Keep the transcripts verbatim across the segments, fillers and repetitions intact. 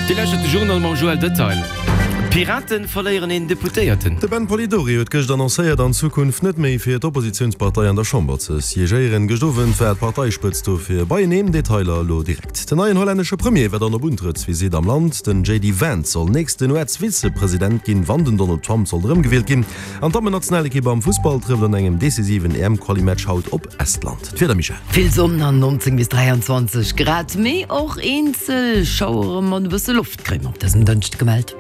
Dir lauschtert de Journal mam Joël Detail. D'Piraten verléieren een Deputéierten. De Ben Polidori huet gëscht annoncéiert, an Zukunft net méi fir d'Oppositiounspartei an der Chamber ze siégéieren. Gëscht Owend war d'Parteispëtzt dofir beieneen. Detailer elo direkt. Den neien hollännesche Premier war dann op Untrëttsvisitt am Land. Den J D Vance soll nächsten U S-Vizepresident ginn, wann den Donald Trump sollt erëmgewielt ginn. An d'Dammennationalekipp am Fussball trëfft an engem decisiven E M-Quali-Match haut op Estland. D'Wieder, Michèle. Vill Sonn an nonzéng bis dräianzwanzeg Grad, mee och eenzel Schauere mat e bësse Loft kréie mer op dësem Dënschde gemellt.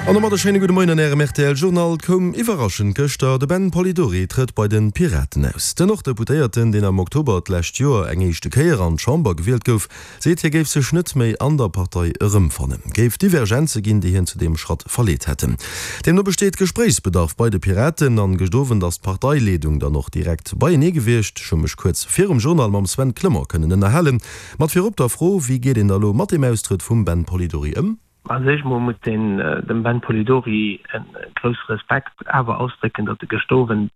An domat e schéine gudde Moien an Ärem R T L-Journal. Koum iwwerraschend gëschter, de Ben Polidori trëtt bei de Piraten aus. Den Norddeputéierten, deen am Oktober d'lescht Joer eng éischte Kéier an d'Chamber gewielt gouf, seet hie géif sech net méi an der Partei erëmfannen. Géif Divergenze ginn, déi hien zu deem Schratt verleet hätten. Deemno besteet Gespréichsbedarf bei de Piraten an gëscht Owend ass d'Parteileedung dann och direkt beienee gewiescht. Ech hu mech kuerz virum Journal mam Sven Clement kënnen ënnerhalen. Mat virop der Fro, wéi geet een da lo mat deem Austrëtt vum Ben Polidori ëm? Also ech muss mat den, dem Ben Polidori e grousse Respekt awer ausdrécken, datt e gëscht Owend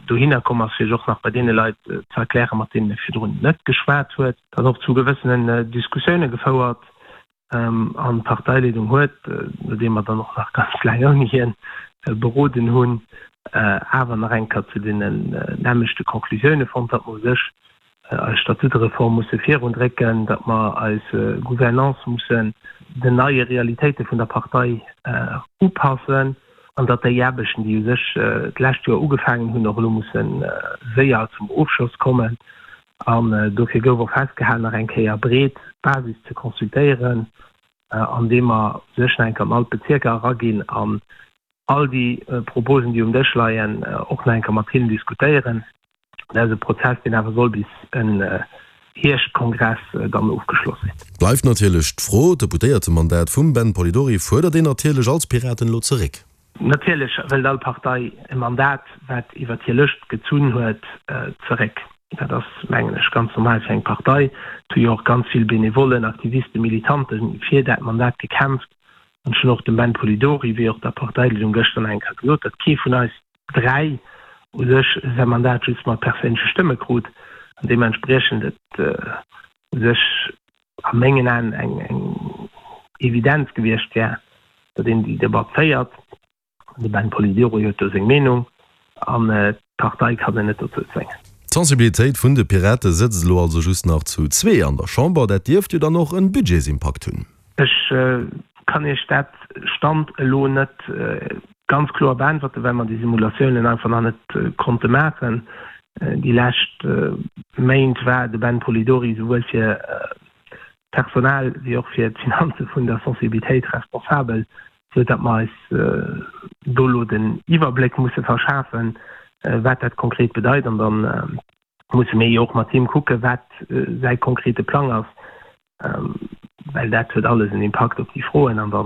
dohinner komm ass, fir och nach bei deene Leit ze erklären, mat deenen e virdrun net geschwat huet, dat och zu gewëssenen Diskussioune gefouert ähm, an d'Parteileedung huet, nodeem mer dann och nach ganz laang ouni hien beroden hunn, awer nach eng Kéier zu den nämmlechte Conclusioune fonnt, datt mer u sech eis Statutereform musse virundrécken, datt mer eis Gouvernance mussen den neie Realitéite vun der Partei upassen an datt déi Aarbechten, déi u sech d'lescht Joer ugefaangen hunn, och elo musse séier zum Ofschloss kommen. An dofir gouf och festgehalen, nach eng Kéier breet d'Basis ze consultéieren, andeem mer sech nach eng Kéier an all d'Bezierker eraginn an all déi Proposen, déi um Dësch leien, och nach eng Kéier mat hinnen diskutéieren. Dat ass e Prozess, deen awer soll bis en Hierschtkongress dann ofgeschloss sinn. Bleift natierlech d'Fro, D'Deputéiertemandat vum Ben Polidori fuerdert een natierlech als Piraten elo zeréck? Natierlech wëllt all Partei e Mandat, wat iwwer hir Lëscht gezunn huet, zeréck. Dat ass, mengen ech, ganz normal fir eng Partei. Et hu jo och ganz vill Benevollen, Aktivisten, Militanten fir dat Mandat gekämpft. An ech hunn och dem Ben Polidori wéi och der Parteileedung gëschter nach eng Kéier gesot, datt kee vun eis dräi u sech säi Mandat just mat perséinleche Stëmme krut an deementspriechend et u sech a mengen Aen eng eng Evidenz gewiescht wär, datt een déi Debatt féiert. De Ben Polidori huet do seng Meenung an d'Partei kann en net dozou zwéngen. D'Sensibilitéit vun de Pirate sëtzt elo also just nach zu zwee an der Chamber. Dat dierft jo dann och en Budgetsimpakt hunn. Ech kann Iech dat Stand elo net ganz kloer beäntwerten, well mer déi Simulatiounen einfach nach net konnte maachen. Déi lescht Méint war de Ben Polidori souwuel fir d'Personal wéi och fir d'Finanze vun der Sensibilitéit responsabel, sou datt mer eis do elo den Iwwerbléck musse verschafen, wat dat konkret bedeit. An da musse mir jo och mat him kucken, wat säi konkrete Plang ass, well dat huet alles en Impakt op déi Froen an da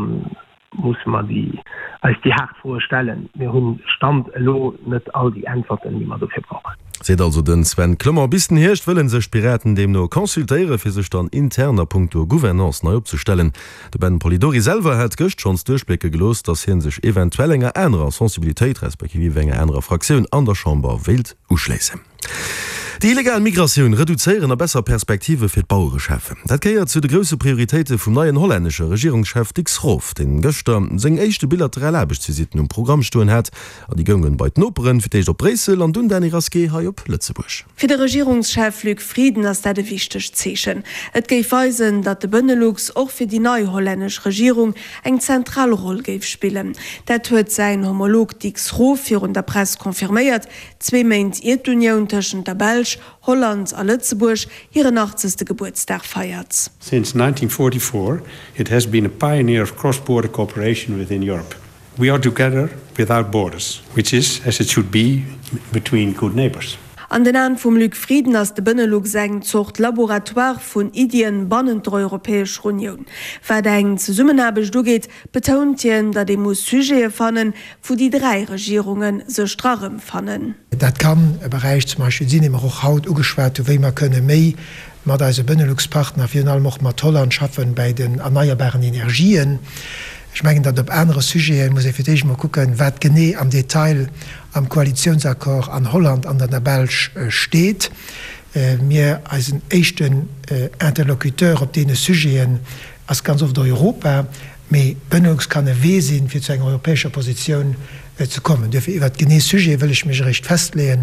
musse mer déi eis déi haart Froe stellen. Mir hunn Stand elo net all déi Äntwerten, déi mer dofir brauchen. Seet also den Sven Clement. Bis den Hierscht wëlle sech d'Piraten deemno consultéiere fir sech dann intern a punkto Gouvernance nei opzestellen. De Ben Polidori selwer hat gëscht schonns duerchblécke gelooss, datt hie sech eventuell enger anerer Sensibilitéit respektiv enger anerer Fraktioun an der Chamber wéilt uschléissen. Déi illegal Migratioun reduzéieren a besser Perspektive fir d'Bauere schafen. Dat gehéiert zu de grousse Prioritéite vum neien hollännesche Regierungschef Dick Schoof, deen gëschter seng éischte bilateral Aarbechtsvisitten um Programm stoen hat. An déi goungen bei d'Noperen, fir d'éischt op Bréissel an dunn Dany Rasqué hei op Lëtzebuerg. Fir de Regierungschef Luc Frieden ass dat e wichtegt Zeechen. Et géif weisen, datt de Benelux och fir déi nei hollännesch Regierung eng zentral Roll géif spillen. Dat huet säin Homolog Dick Schoof virun der Press confirméiert, zwee Méint ier d'Unioun tëschent der Belsch, Holland a Lëtzebuerg hiren achtzegste Gebuertsdag feiert. Since nineteen forty-four, it has been a pioneer of cross-border cooperation within Europe. We are together without borders, which is as it should be between good neighbors. An den Aen vum Luc Frieden ass de Benelux eng Zort Laboratoire vun Iddien bannent der Europäescher Unioun. Wat eng Zesummenaarbecht ugeet, betount hien, datt ee muss Sujete fannen, wou déi dräi Regierunge sech dra rëmfannen. Dat kann e Beräich zum Beispill sinn, dee mer och haut ugeschwat hunn, wéi mer kënne méi mat eise Benelux-Partner, virun allem och mat Holland, schaffen bei den erneierbaren Energien. Ech mengen, datt op anere Sujete muss ee fir d'éischt emol kucken, wat genee am Detail am Koalitiounsaccord an Holland an an der Belsch steet. Mir, eisen éischten Interlocuteur op deene Sujeten ass ganz oft Europa, mee Benelux kann e Wee sinn, fir zu enger europäescher Positioun ze kommen. Duerfir, iwwert genee Sujete wëll ech mech eréischt festleeën,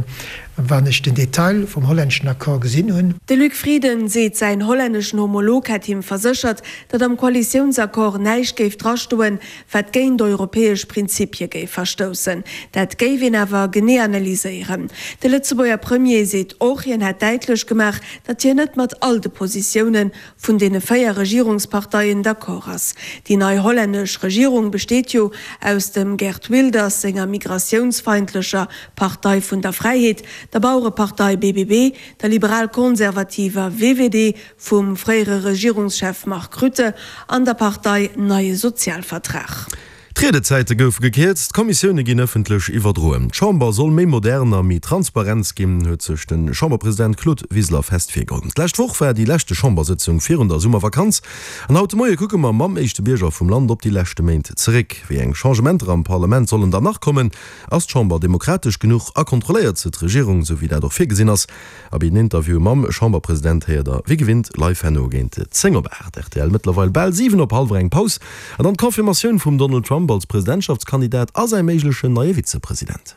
wann ech den Detail vum hollänneschen Accord gesinn hunn. De Luc Frieden seet, säin hollänneschen Homolog hätt him verséchert, datt am Koalitiounsaccord näischt géif drastoen, wat géint europäesch Prinzipie géif verstoussen. Dat géif een awer genee analyséieren. De Lëtzebuerger Premier seet och, hien hätt däitlech gemaach, datt hien net mat all de Positioune vun deene véier Regierungsparteien d'accord ass. Déi nei hollännesch Regierung besteet jo aus dem Geert Wilders senger migratiounsfeindlecher Partei vun der Fräiheet, der Bauerepartei B B B, der liberal-konservativer V V D vum fréiere Regierungschef Mark Rutte an der Partei Neie Sozialvertrag. D'Riedezäite goufe gekierzt, d'Kommissioune ginn ëffentlech iwwerdroen. D'Chamber soll méi modern a méi transparent ginn, huet sech de Chamberpresident Claude Wiseler fest virgeholl. D'lescht Woch war déi leschte Chambersëtzung virun der Summervakanz an haut de Moie kucke mer mam éischte Bierger vum Land op déi leschte Méint zeréck. Wéi eng Changementer am Parlament sollen dann nach kommen? Ass d'Chamber demokratesch genuch a kontrolléiert se d'Regierung, sou wéi dat och virgesinn ass? Abee, den Interview mam Chamberpresident héiert der wéi gewinnt live herno géint zéng op aacht. Rtl, mëttlerweil bal siwen op hallwer eng. Paus an dann d'Confirmatioun vum Donald Trump als Presidentschaftskandidat a säi méiglechen neie Vizepresident.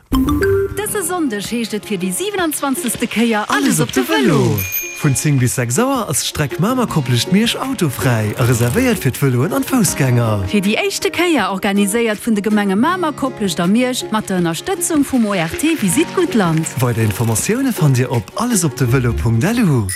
Dëse Sonndeg heescht et fir déi siewenundzwanzegste. Kéier Alles op de Vëlo! Vun zéng bis sechs Auer ass d'Streck Mamer-Koplescht-Miersch autofräi a reservéiert fir d'Vëloen an d'Foussgänger. Fir déi éischte Kéier organiséiert vun de Gemenge Mamer, Koplescht a Miersch mat der Ënnerstëtzung vum O R T Visite Guttland. Weider Informatioune fannt Dir op allesopdevelo Punkt L U.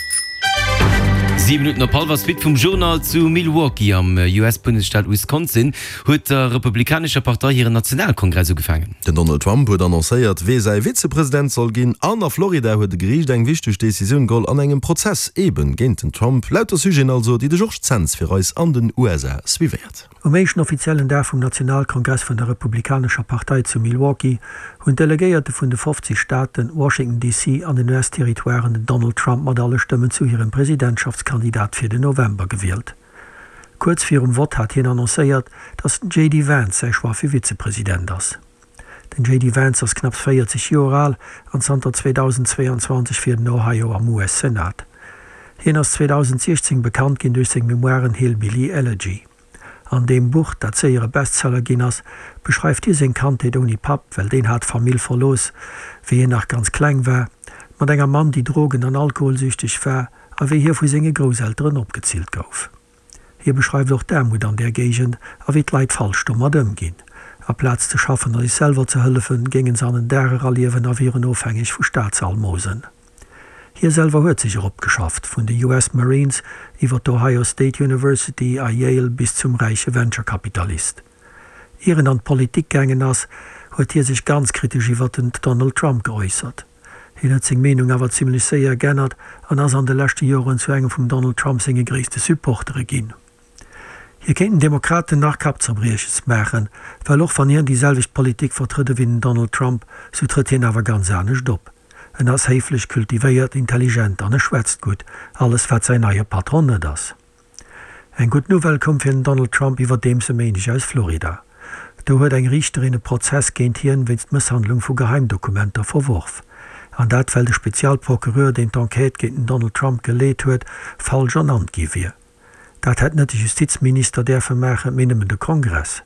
Siwe Minutten op hallwer Suite vum Journal. Zu Milwaukee am U S-Bundesstaat Wisconsin huet der Republikanescher Partei hiren Nationalkongress ugefaangen. Den Donald Trump huet annoncéiert, wee säi Vizepresident soll ginn an a Florida huet e Geriicht eng wichteg Decisioun geholl an engem Prozess eben géint den Trump. Lauter Sujeten also, déi de Georges Zens fir eis an den U S A suivéiert. Um éischten offiziellen Dag vum Nationalkongress vun der Republikanescher Partei zu Milwaukee hunn d'Delegéierte vun de fofzeg Staaten, Washington D C an den U S-Territoiren den Donald Trump mat alle Stëmmen zu hirem Presidentschaftskandidat fir den November gewielt. Kuerz virum Vott hat hien annoncéiert, datt den J D Vance säi Choix fir Vizepresident ass. Den J D Vance ass knapps véierzeg Joer al an zanter zweedausendzweeanzwanzeg fir den Ohio am U S-Senat. Hien ass zweedausendsiechzéng bekannt ginn duerch seng Memoiren Hillbilly Elegy. An deem Buch, dat séier e Bestseller ginn ass, beschreift hie seng Kandheet ouni Papp, well deen hat d'Famill verlooss, wéi hien nach ganz kleng war, mat enger Mamm, déi drogen an alkoholsüchteg war, a wéi hie vu senge Grousselteren opgezillt gouf. Hie beschreift och d'Aarmut an där Géigend a wéi d'Leit falsch domat ëmginn. Aplaz ze schaffen a sech selwer ze hëllefen, géinge se an den Dag era liewen a wieren ofhängeg vu Staatsalmosen. Hie selwer huet sech eropgeschafft, vun de U S Marines iwwer d'Ohio State University a Yale bis zum räiche Venture-Kapitalist. Ier en an d'Politik gaangen ass, huet hie sech ganz kritesch iwwer den Donald Trump geäussert. Hien huet seng Meenung awer zimmlech séier geännert an ass an de leschte Joren zu engem vum Donald Trump senge gréisste Supportere ginn. Hie kéint den Demokraten nach Kappzerbrieches maachen, well och wann hien déi selwecht Politik vertrëtt ewéi den Donald Trump, sou trëtt hien awer ganz anescht op. En ass héiflech, kultivéiert, intelligent an e schwätzt gutt, alles wat säin neie Patron net ass. Eng gutt Nouvelle koum fir den Donald Trump iwwerdeems e Méindeg aus Florida. Do huet eng Riichterin e Prozess géint hien wéinst Mësshandlung vu Geheimdokumenter verworf. An dat well de Spezialprocureur, deen d'Enquête géint den Donald Trump geleet huet, falsch ernannt gi wier. Dat hätt net de Justizminister däerfe maachen, mee nëmmen de Kongress.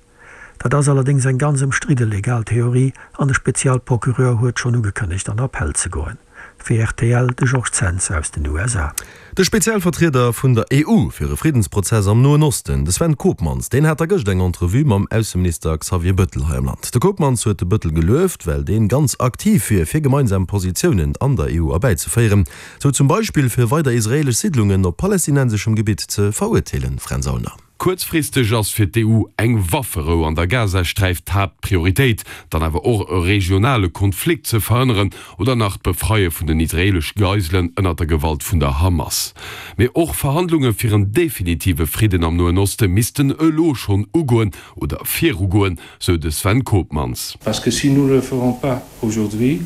Dat ass allerdéngs eng ganz ëmstridde legal Theorie an de Spezialprocureur huet schonn ugekënnegt an Appell ze goen. Fir R T L de Georges Zens aus den U S A. De Spezialvertrieder vun der E U fir e Friddensprozess am Noen Osten, de Sven Koopmans, deen hat da gëscht eng Entrevue mam Ausseminister Xavier Bëttel hei am Land. De Koopmans huet de Bëttel gelueft, well deen ganz aktiv wier fir gemeinsam Positiounen an der E U erbäizeféieren, sou zum Beispill fir weider israelesch Siidlungen op palästinenseschem Gebitt ze verurteelen. Fränz Aulner. Kuerzfristeg ass fir d'E U eng Wafferou an der Gazasträif d'Haaptprioritéit, dann awer och e regionale Konflikt ze verhënneren oder nach d'Befreie vun den israelesch Geiselen ënner der Gewalt vun der Hamas. Mee och Verhandlunge fir en definitive Fridden am Noen Oste missten elo schonn ugoen oder virugoen, sou de Sven Koopmans. Parce que si nous ne le ferons pas aujourd'hui,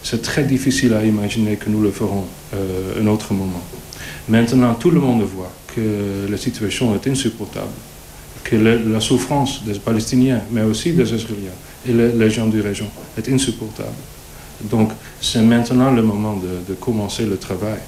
c'est très difficile à imaginer que nous le ferons euh, un autre moment. Maintenant, tout le monde voit que la situation est insupportable, que le, la souffrance des Palestiniens, mais aussi des Israéliens et les, les gens du région est insupportable. Donc c'est maintenant le moment de, de commencer le travail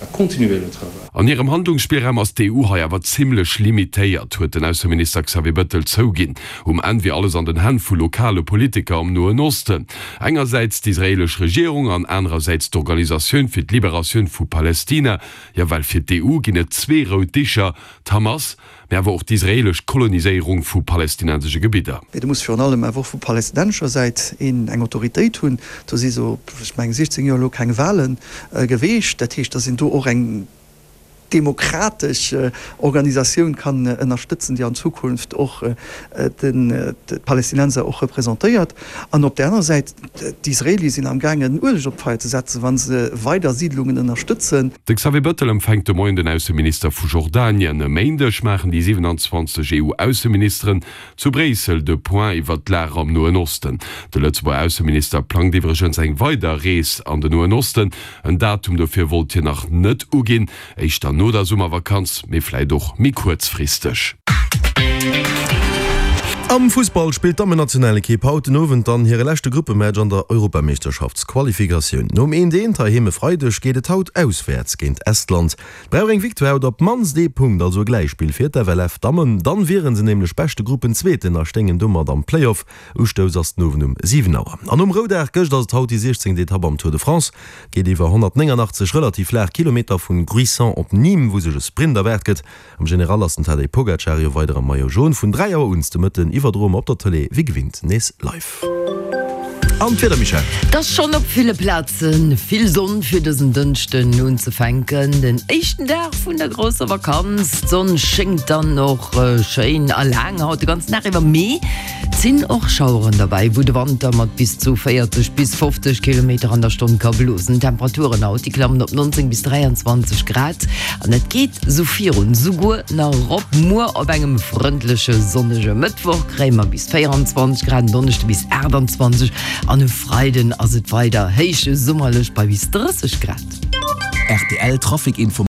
à continuer le travail. An hirem Handlungsspillraum ass d'EU hei awer zimmlech limitéiert, huet den Ausseminister Xavier Bettel zouginn. Um Enn wier alles an den Hänn vu lokale Politiker am Noen Osten. Engersäits d'israeelesch Regierung an anerersäits d'Organisatioun fir d'Liberatioun vu Palestina. Jo, well fir d'EU ginn et zwee rout Dicher, d'Hamas, mee awer och d'israeelesch Koloniséierung vu palestinensesche Gebidder. Mee du muss virun allem awer och vu palestinensescher Säit een eng Autoritéit hunn. Do si sou, ech mengen, siechzéng Joer elo keng Wale geweecht. Dat heescht, datt een do och eng demokratesch Organisatioun kann ënnerstëtzen, déi an Zukunft och d'Palästinenser och representéiert. An op där anerer Säit, d'Israelie sinn am gaangen Ueleg op d'Feier ze setzen, wa se weider Siidlungen ënnerstëtzen. De Xavier Bettel empfänkt de Moien den Ausseminister vu Jordanien. E Méindeg maachen déi siwenanzwanzeg EU-Ausseministeren zu Bréissel de Point iwwert d'Lag am Noen Osten. De Lëtzebuerger Ausseminister plangt iwwregens eng weider Rees an den Noen Osten. En Datum dofir wollt hien nach net uginn, éischter no der Summervakanz, mee vläit och méi kuerzfristeg. Am Fussball spillt d'Dammennationalekipp haut den Owend dann hire leschte Gruppematch an der Europameeschterschaftsqualifikatioun. Nom eent eent heiheem e Freideg geet et haut auswäerts géint Estland. Et brauch eng Victoire oder op d'mannst ee Punkt, also e Gläichspill fir d'FLF-Dammen. Dann wieren se nämlech beschte Gruppenzweeten a stéingen domat am Playoff. Ustouss ass den Owend um siwen Auer. An nom Roudag gëscht ass et haut déi siechzéngt Etapp am Tour de France. Et geet iwwer honnertnéngangachtzeg relativ flaach Kilometer vun Gruissan op Nîmes, wou sech e Sprint erwaart gëtt. Am General ass den Tadej Pogacar jo weider am Maillot Jaune. Vun dräi Auer un de Mëtten iwwerdroe mer op der Tëlee wéi gewinnt nees live. An d'Wieder, Michèle? Et ass schonn op ville Plaze vill Sonn fir dësen Dënschden unzefänken, den éischten Dag vun der grousser Vakanz. D'Sonn schéngt dann och schéin a laang haut de ganzen Dag iwwer, mee et sinn och Schaueren derbäi, wou de Wand da mat bis zu véierzeg bis fofzeg Kilometer an der Stonn ka blosen. D'Temperaturen haut, déi klammen op neunzéng bis dräianzwanzeg Grad an et geet sou virun, souguer nach erop. Muer op engem frëndleche sonnege Mëttwoch kréie mer bis véieranzwanzeg Grad, en Donneschde bis aachtanzwanzeg an e Freiden ass et weider héich summerlech bei bis drësseg Grad. Rtl Trafic Info.